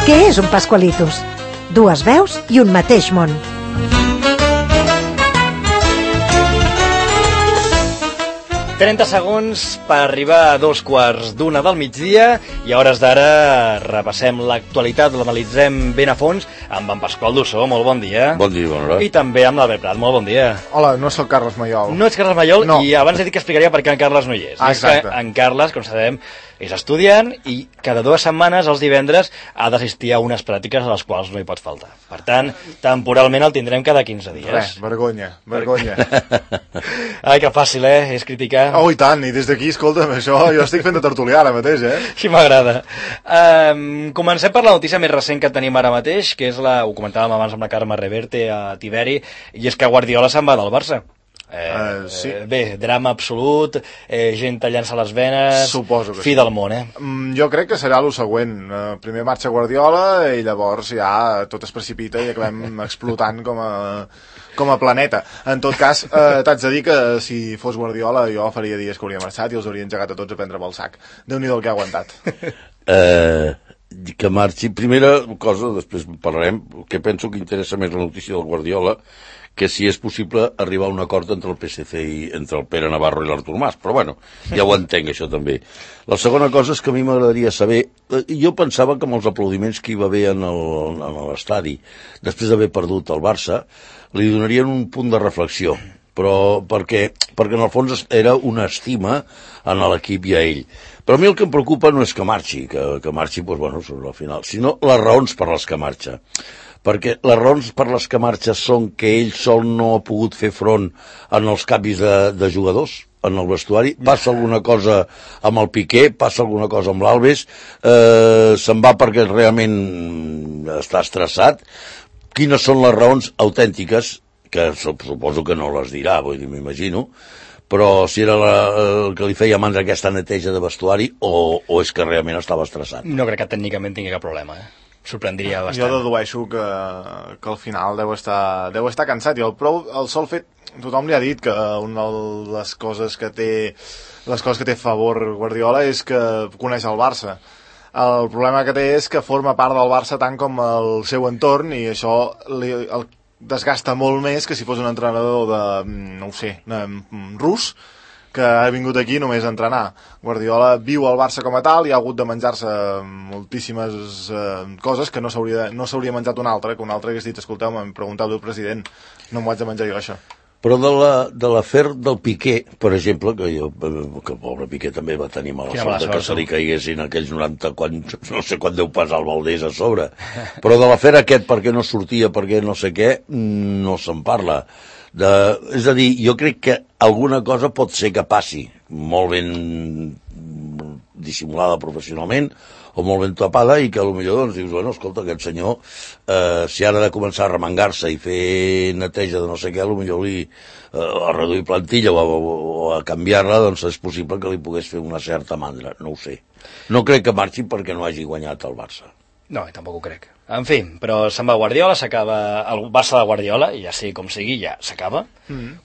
Què és un Pascualitos? Dues veus i un mateix món. ...30 segons per arribar a 2:15 del migdia i a hores d'ara repassem l'actualitat, l'analitzem ben a fons amb en Pasqual Dussó, molt bon dia. Bon dia, bona hora. I també amb l'Albert Prat, molt bon dia. Hola, no sóc Carles Mayol. No ets Carles Mayol, no. I abans he dit que explicaria per què en Carles no hi és. Exacte. És que en Carles, com sabem, és estudiant i cada 2 setmanes, els divendres, ha d'assistir a unes pràctiques a les quals no hi pot faltar. Per tant, temporalment el tindrem cada 15 dies. Res, vergonya. Ai, que fàcil, és criticar. Oh, i tant, i des d'aquí, escolta'm, això jo estic fent de tertulià ara mateix, Així m'agrada. Comencem per la notícia més recent que tenim ara mateix, que és ho comentàvem abans amb la Carme Reverte a Tiberi, i és que Guardiola se'n va del Barça. Sí. Bé, drama absolut, gent tallant-se les venes. Suposo que fi sí. del món, Jo crec que serà el següent. Primer marxa Guardiola i llavors ja tot es precipita i acabem explotant com a planeta. En tot cas, t'haig de dir que si fos Guardiola jo faria dies que hauria marxat i els hauria engegat a tots a prendre pel sac. Déu-n'hi-do el que ha aguantat. Que marxi. Primera cosa, després parlarem, que penso que interessa més la notícia del Guardiola, que si és possible arribar a un acord entre el PSC i entre el Pere Navarro i l'Artur Mas, però bueno, ja ho entenc això també. La segona cosa és que a mi m'agradaria saber, jo pensava que amb els aplaudiments que hi va haver en l'estadi, després d'haver perdut el Barça, li donarien un punt de reflexió, però perquè en el fons era una estima en l'equip i a ell. Però a mi el que em preocupa no és que marxi, que marxi, doncs, bueno, sobre el final, sinó les raons per les que marxa. Perquè les raons per les que marxa són que ell sol no ha pogut fer front en els canvis de jugadors en el vestuari, passa alguna cosa amb el Piqué, passa alguna cosa amb l'Alves, se'n va perquè realment està estressat. Quines són les raons autèntiques, que suposo que no les dirà, vull dir, m'imagino, però si era el que li feia mandra aquesta neteja de vestuari o és que realment estava estressat. No crec que tècnicament tingui cap problema, sorprendria bastant. Jo dedueixo que al final deu estar cansat i el sol fet, tothom li ha dit que una de les coses que té a favor Guardiola és que coneix el Barça. El problema que té és que forma part del Barça tant com el seu entorn i això el desgasta molt més que si fos un entrenador rus que ha vingut aquí només a entrenar. Guardiola viu al Barça com a tal i ha hagut de menjar-se moltíssimes coses que no s'hauria menjat un altre, que un altre hagués dit, escolteu, m'hem preguntat el president, no m'ho haig de menjar jo això. Però de l'afer del Piqué, per exemple, que el pobre Piqué també va tenir mala sort que se li caiguessin aquells 90, no sé quan deu pesar el Valdés a sobre, però de l'afer aquest perquè no sortia, perquè no sé què, no se'n parla. És a dir, jo crec que alguna cosa pot ser que passi molt ben dissimulada professionalment o molt ben tapada i que potser doncs dius, bueno, escolta, aquest senyor si ara ha de començar a remengar-se i fer neteja de no sé què, potser a reduir plantilla o a canviar-la, doncs és possible que li pogués fer una certa mandra, no ho sé. No crec que marxi perquè no hagi guanyat el Barça. No, tampoc ho crec. En fi, però se'n va Guardiola, s'acaba el Barça de Guardiola, i ja sigui com sigui, ja s'acaba.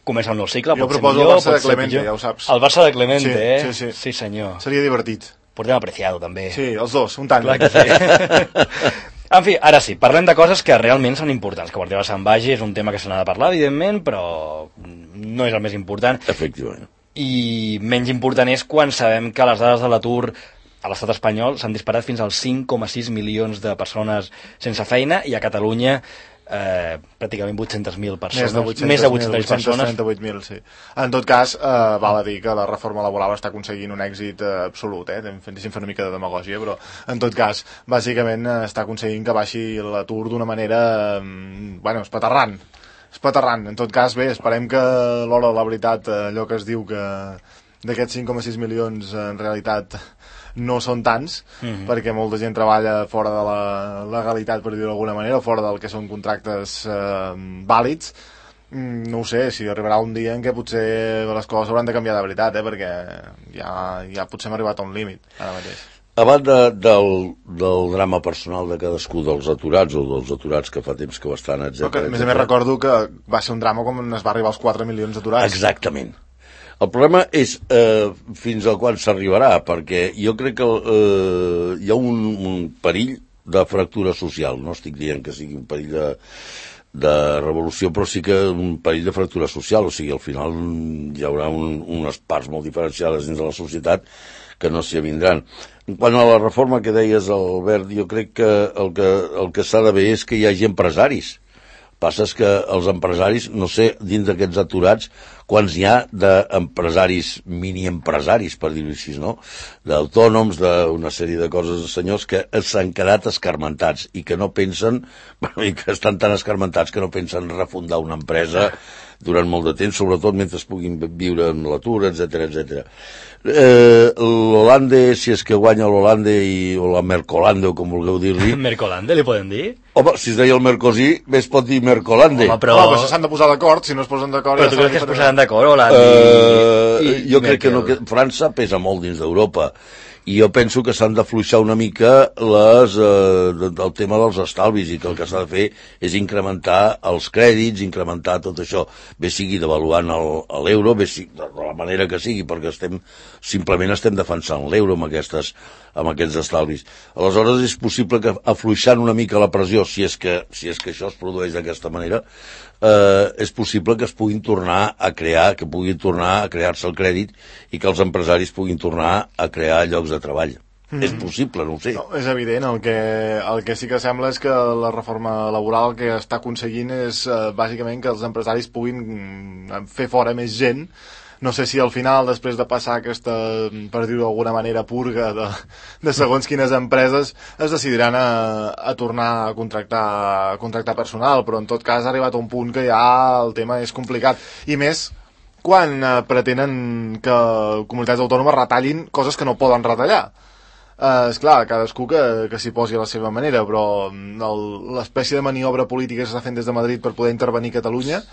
Comença un nou cicle. Jo proposo el Barça de Clemente, ja ho saps. El Barça de Clemente, Sí. Sí, senyor. Seria divertit. Portem Apreciado, també. Sí, els dos, un tant. Clar que sí. En fi, ara sí, parlem de coses que realment són importants. Que Guardiola se'n vagi és un tema que se n'ha de parlar, evidentment, però no és el més important. Efectivament. I menys important és quan sabem que les dades de l'atur a l'estat espanyol s'han disparat fins als 5,6 milions de persones sense feina i a Catalunya pràcticament 800.000 persones. Més de 800.000 persones. 838.000, sí. En tot cas, val a dir que la reforma laboral està aconseguint un èxit absolut, deixem fer una mica de demagògia, però en tot cas, bàsicament està aconseguint que baixi l'atur d'una manera, espaterrant. En tot cas, bé, esperem que a l'hora de la veritat, allò que es diu que d'aquests 5,6 milions en realitat no són tants, perquè molta gent treballa fora de la legalitat, per dir-ho d'alguna manera, o fora del que són contractes vàlids. No ho sé, si arribarà un dia en què potser les coses hauran de canviar de veritat, perquè ja potser hem arribat a un límit ara mateix. A banda del drama personal de cadascú dels aturats o dels aturats que fa temps que ho estan, etc. A més recordo que va ser un drama quan es va arribar als 4 milions d'aturats. Exactament. El problema és fins al quan s'arribarà, perquè jo crec que hi ha un perill de fractura social. No estic dient que sigui un perill de revolució, però sí que un perill de fractura social. O sigui, al final hi haurà unes parts molt diferenciades dins de la societat que no s'hi avindran. En quant a la reforma que deies, Albert, jo crec que el que s'ha de veure és que hi hagi empresaris. Passa és que els empresaris, no sé, dins d'aquests aturats, quants n'hi ha d'empresaris, mini-empresaris, per dir-ho així, no? D'autònoms, d'una sèrie de coses de senyors que s'han quedat escarmentats i que no pensen, i que estan tan escarmentats que no pensen refundar una empresa durant molt de temps, sobretot mentre puguin viure en l'atur, etc. L'Holande, si és que guanya l'Holande o la Mercolande, o com vulgueu dir-li. Mercolande, li podem dir? Home, si es deia el Mercosí, bé es pot dir Mercolande. Home, però s'han de posar d'acord, si no es posen d'acord... Però tu creus que es posaran d'acord, Holanda jo crec que no, que França pesa molt dins d'Europa. I jo penso que s'han d'afluixar una mica el tema dels estalvis i que el que s'ha de fer és incrementar els crèdits, incrementar tot això, bé sigui devaluant l'euro, bé sigui de la manera que sigui, perquè simplement estem defensant l'euro amb aquests estalvis. Aleshores és possible que afluixant una mica la pressió, si és que això es produeix d'aquesta manera, és possible que es puguin tornar a crear, que pugui tornar a crear-se el crèdit i que els empresaris puguin tornar a crear llocs de treball. És possible, no ho sé. No, és evident, el que sí que sembla és que la reforma laboral que està aconseguint és bàsicament que els empresaris puguin fer fora més gent. No sé si al final, després de passar aquesta, per dir-ho d'alguna manera, purga de segons quines empreses, es decidiran a tornar a contractar personal, però en tot cas ha arribat a un punt que ja el tema és complicat. I més quan pretenen que comunitats autònomes retallin coses que no poden retallar. Esclar, cadascú que s'hi posi a la seva manera, però l'espècie de maniobra política que s'està fent des de Madrid per poder intervenir a Catalunya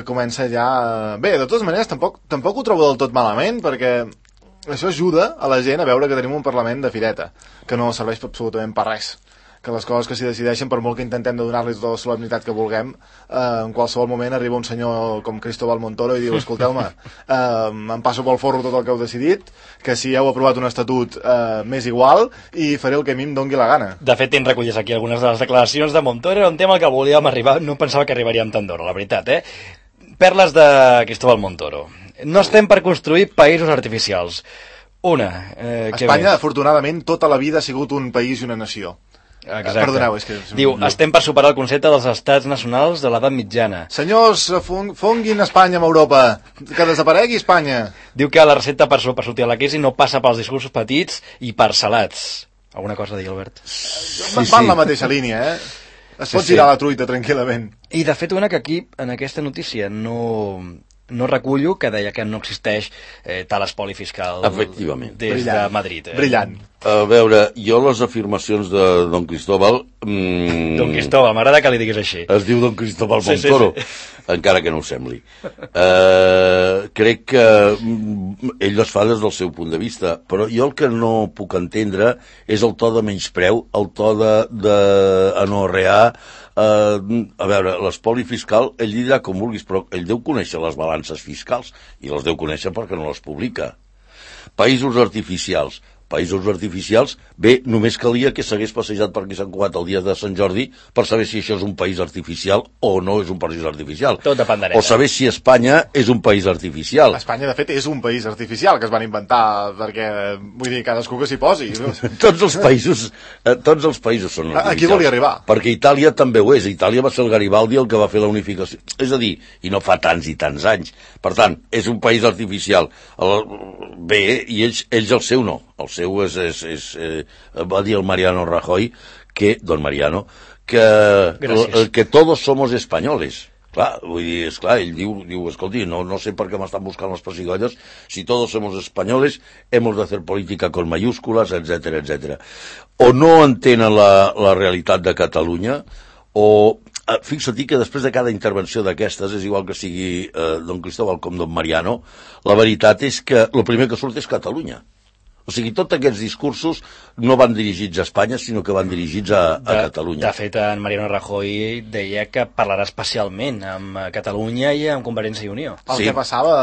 comença ja... Bé, de totes maneres, tampoc ho trobo del tot malament, perquè això ajuda a la gent a veure que tenim un Parlament de fireta, que no serveix absolutament per res. Que les coses que s'hi decideixen, per molt que intentem de donar-los tota la solemnitat que vulguem, en qualsevol moment arriba un senyor com Cristóbal Montoro i diu, escolteu-me, em passo pel forro tot el que heu decidit, que si heu aprovat un estatut m'és igual, i faré el que a mi em dongui la gana. De fet, tens recollit aquí algunes de les declaracions de Montoro, era un tema al que volíem arribar, no pensava que arribaríem tan d'hora, la veritat, Perles de Cristóbal Montoro. No estem per construir països artificials. Espanya, afortunadament, tota la vida ha sigut un país i una nació. Exacte. Perdoneu, és que... Diu, estem per superar el concepte dels estats nacionals de l'edat mitjana. Senyors, fonguin Espanya amb Europa, que desaparegui Espanya. Diu que la recepta per sortir a la crisi no passa pels discursos petits i parcel·lats. Alguna cosa a dir, Albert? Va en la mateixa línia, Es pot girar la truita tranquil·lament. I de fet, que aquí, en aquesta notícia, no recullo que deia que no existeix tal espoli fiscal des de Madrid. Brillant. A veure, jo les afirmacions de Don Cristóbal... Don Cristóbal, m'agrada que li diguis així. Es diu Don Cristóbal Montoro, encara que no ho sembli. Crec que ell les fa des del seu punt de vista, però jo el que no puc entendre és el to de menyspreu, el to d'anorrear. A veure, l'espoli fiscal, ell dirà com vulguis, però ell deu conèixer les balances fiscals, i les deu conèixer perquè no les publica. Països artificials, bé, només calia que s'hagués passejat per aquí Sant Cugat el dia de Sant Jordi per saber si això és un país artificial o no és un país artificial. Tot dependrà. O saber si Espanya és un país artificial. Espanya, de fet, és un país artificial que es van inventar perquè, vull dir, cadascú que s'hi posi. Tots els països són artificials. Aquí volia arribar. Perquè Itàlia també ho és. Itàlia va ser el Garibaldi el que va fer la unificació. És a dir, i no fa tants i tants anys. Per tant, és un país artificial. Bé, i ells el seu no. El seu va dir el Mariano Rajoy, don Mariano, que todos somos españoles. Clar, vull dir, esclar, ell diu, escolti, no sé per què m'estan buscant les pessigolles, si todos somos españoles, hemos de hacer política con mayúsculas, etc. O no entenen la realitat de Catalunya, o... Fixa-t'hi que després de cada intervenció d'aquestes, és igual que sigui don Cristóbal com don Mariano, la veritat és que el primer que surt és Catalunya. O sigui, tots aquests discursos no van dirigits a Espanya, sinó que van dirigits a Catalunya. De fet, en Mariano Rajoy deia que parlarà especialment amb Catalunya i amb Convergència i Unió. El que passava,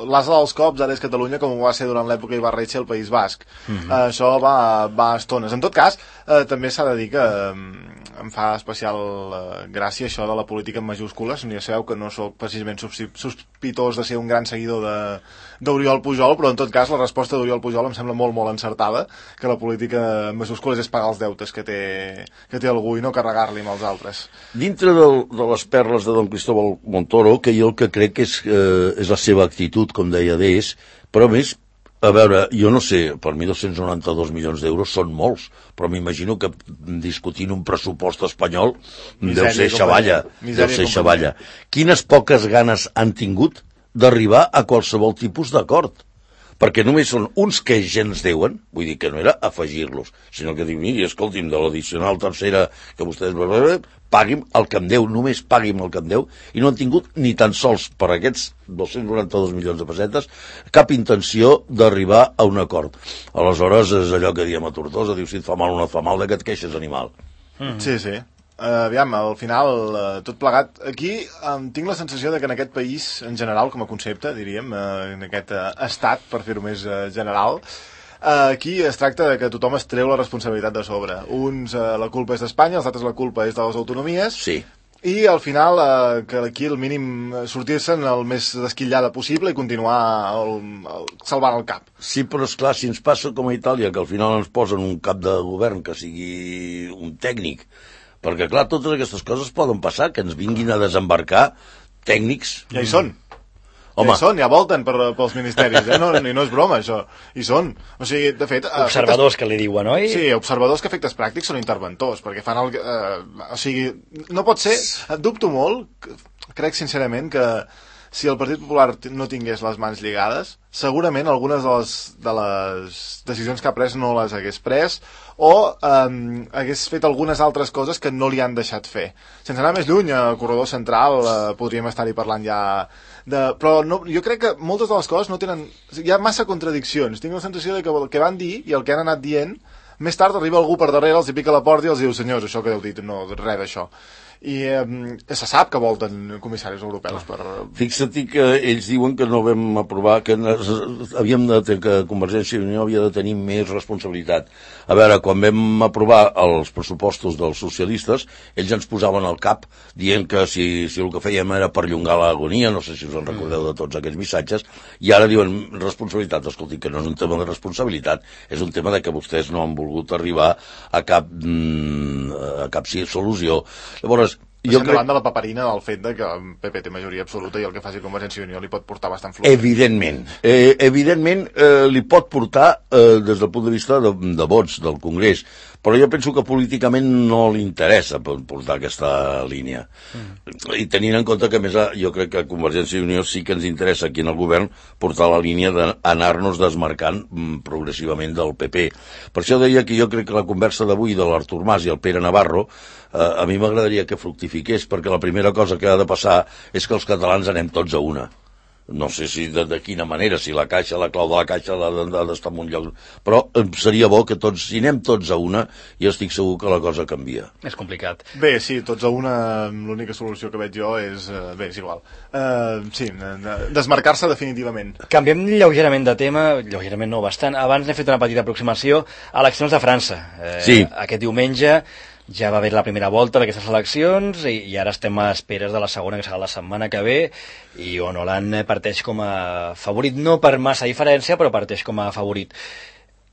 l'asa dels cops ara és Catalunya, com ho va ser durant l'època Ibarretxe al País Basc. Això va a estones. En tot cas, també s'ha de dir que em fa especial gràcia això de la política en majúscules. Ja sabeu que no sóc precisament sospitós de ser un gran seguidor d'Oriol Pujol, però en tot cas la resposta d'Oriol Pujol em sembla molt, molt encertada, que la política en majúscules és pagar els deutes que té algú i no carregar-li amb els altres. Dintre de les perles de don Cristóbal Montoro, que jo el que crec és la seva actitud, com deia d'ells, però a més, a veure, jo no sé, per mi 292 milions d'euros són molts, però m'imagino que discutint un pressupost espanyol deu ser xavalla. Quines poques ganes han tingut d'arribar a qualsevol tipus d'acord? Perquè només són uns que ja ens deuen, vull dir que no era afegir-los, sinó que diu, miri, escolti'm, de l'addicional tercera que vostès pagui'm el que em deu, només pagui'm el que em deu, i no han tingut ni tan sols per aquests 292 milions de pessetes cap intenció d'arribar a un acord. Aleshores és allò que diem a Tortosa, diu, si et fa mal o no et fa mal, de que et queixes, animal. Sí. Aviam, al final, tot plegat, aquí tinc la sensació de que en aquest país, en general, com a concepte, diríem, en aquest estat, per fer-ho més general, aquí es tracta de que tothom es treu la responsabilitat de sobre. Uns, la culpa és d'Espanya, els altres la culpa és de les autonomies, sí. I al final, que aquí el mínim sortir-se'n el més desquillada possible i continuar salvant el cap. Sí, però esclar, si ens passa com a Itàlia, que al final ens posen un cap de govern que sigui un tècnic, perquè, clar, totes aquestes coses poden passar, que ens vinguin a desembarcar tècnics. Ja hi són. Home. Ja volten pels ministeris, no és broma, això. Hi són. O sigui, de fet... Observadors que li diuen, oi? Sí, observadors que efectes pràctics són interventors, perquè fan o sigui, no pot ser... Dubto molt, crec sincerament que si el Partit Popular no tingués les mans lligades, segurament algunes de les decisions que ha pres no les hagués pres, o hagués fet algunes altres coses que no li han deixat fer. Sense anar més lluny, al corredor central podríem estar-hi parlant ja però no, jo crec que moltes de les coses no tenen... Hi ha massa contradiccions. Tinc la sensació de que el que van dir i el que han anat dient, més tard arriba algú per darrere, els hi pica la porta i els diu, senyors, això que heu dit, no, res d'això. I se sap que volten comissaris europeus per... Fixa't que ells diuen que no vam aprovar, que Convergència i Unió havia de tenir més responsabilitat. A veure, quan vam aprovar els pressupostos dels socialistes, ells ens posaven al cap dient que si el que fèiem era perllongar l'agonia, no sé si us en recordeu de tots aquests missatges, i ara diuen responsabilitat. Escolti, que no és un tema de responsabilitat, és un tema de que vostès no han volgut arribar a cap solució. Llavors, estem davant de la paperina del fet de que el PP té majoria absoluta i el que faci Convergència i Unió li pot portar bastant fluix. Evidentment li pot portar des del punt de vista de vots del Congrés, però jo penso que políticament no li interessa portar aquesta línia. I tenint en compte que, a més, jo crec que a Convergència i Unió sí que ens interessa aquí en el govern portar la línia d'anar-nos desmarcant progressivament del PP. Per això deia que jo crec que la conversa d'avui de l'Artur Mas i el Pere Navarro a mi m'agradaria que fructifiqués, perquè la primera cosa que ha de passar és que els catalans anem tots a una. No sé si de quina manera, si la clau de la caixa ha d'estar en un lloc, però seria bo que tots, si anem tots a una, i estic segur que la cosa canvia. És complicat. Bé, sí, tots a una, l'única solució que veig jo és... Bé, és igual. Sí, desmarcar-se definitivament. Canviem lleugerament de tema, lleugerament no, bastant. Abans n'he fet una petita aproximació a eleccions de França. Sí. Aquest diumenge ja va haver la primera volta d'aquestes eleccions i ara estem a esperes de la segona, que serà la setmana que ve, i on Hollande parteix com a favorit, no per massa diferència, però parteix com a favorit.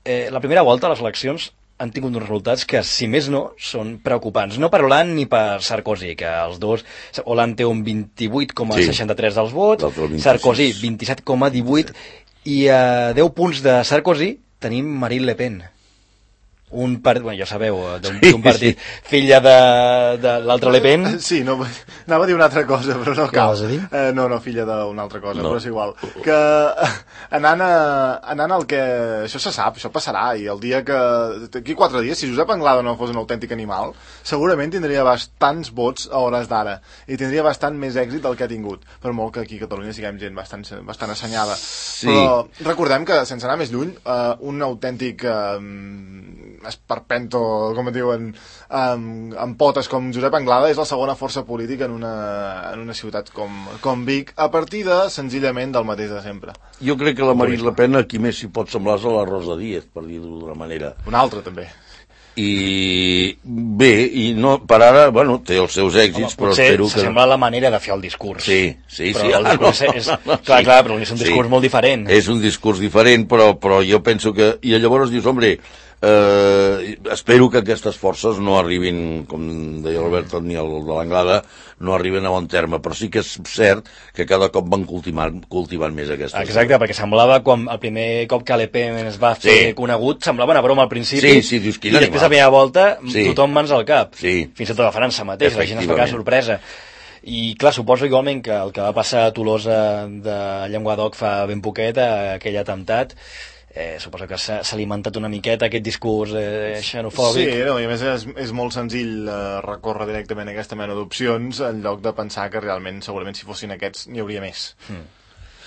La primera volta, les eleccions, han tingut uns resultats que, si més no, són preocupants. No per Hollande ni per Sarkozy, que els dos... Hollande té un 28,63 dels vots, Sarkozy 27,18, i a 10 punts de Sarkozy tenim Marine Le Pen. bueno, ja sabeu, d'un partit, filla de l'altre Le Pen. Sí, no, anava a dir una altra cosa, però no cal. Què vas a dir? No, filla d'una altra cosa, però és igual. Que anant al que... Això se sap, això passarà, i el dia que... D'aquí 4 dies, si Josep Anglada no fos un autèntic animal, segurament tindria bastants vots a hores d'ara, i tindria bastant més èxit del que ha tingut, per molt que aquí a Catalunya siguem gent bastant assenyada. Sí. Però recordem que, sense anar més lluny, un autèntic esperpento, com et diuen, amb potes com Josep Anglada és la segona força política en una ciutat com Vic, a partir senzillament del mateix de sempre. Jo crec que la Marine Le Pen qui més s'hi pot semblar és a la Rosa Díez, per dir-ho d'una manera. Una altra, també. I bé, i no, per ara, bueno, té els seus èxits, però espero que... Potser s'assembla a la manera de fer el discurs. Sí. Però el discurs clar, però és un discurs molt diferent. És un discurs diferent, però jo penso que... I llavors dius, hombre, espero que aquestes forces no arribin, com deia l'Albert, ni el de l'Anglada, no arriben a bon terme, però sí que és cert que cada cop van cultivant més aquestes. Exacte, perquè semblava, quan el primer cop que Le Pen es va fer conegut, semblava una broma al principi, dius, i després a la primera volta tothom mans al cap, fins i tot a França mateix, la gent es fa cada sorpresa. I clar, suposo igualment que el que va passar a Tolosa de Llenguadoc fa ben poquet, aquell atemptat, suposo que s'ha alimentat una miqueta aquest discurs xenofòbic. Sí, no, i a més és molt senzill recórrer directament a aquesta mena d'opcions en lloc de pensar que realment, segurament, si fossin aquests n'hi hauria més.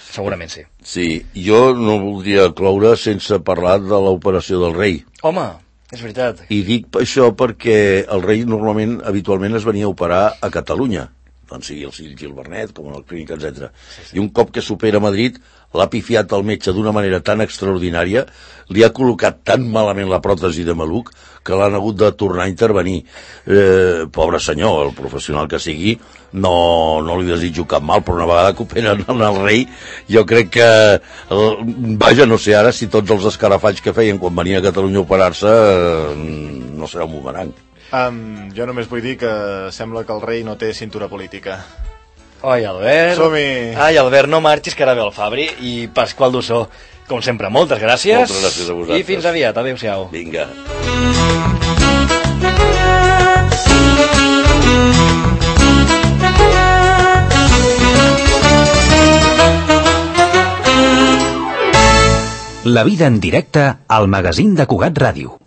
Segurament sí. Sí, jo no voldria cloure sense parlar de l'operació del rei. Home, és veritat. I dic això perquè el rei habitualment es venia a operar a Catalunya, doncs sigui el Gil Bernet, com en el Clínic, etc. I un cop que supera a Madrid, l'ha pifiat el metge d'una manera tan extraordinària, li ha col·locat tan malament la pròtesi de maluc, que l'han hagut de tornar a intervenir. Pobre senyor, el professional que sigui, no li desitjo cap mal, però una vegada que operen el rei, jo crec que... Vaja, no sé ara si tots els escarafalls que feien quan venia a Catalunya a operar-se no serà un bumerang. Jo només vull dir que sembla que el rei no té cintura política. Oi, Albert. Som-hi. Ai, Albert, no marxis, que ara ve el Fabri. I Pasqual Dussó, com sempre, moltes gràcies. Moltes gràcies a vosaltres. I fins aviat. Adéu-siau. Vinga. La vida en directe al magazín de Cugat Ràdio.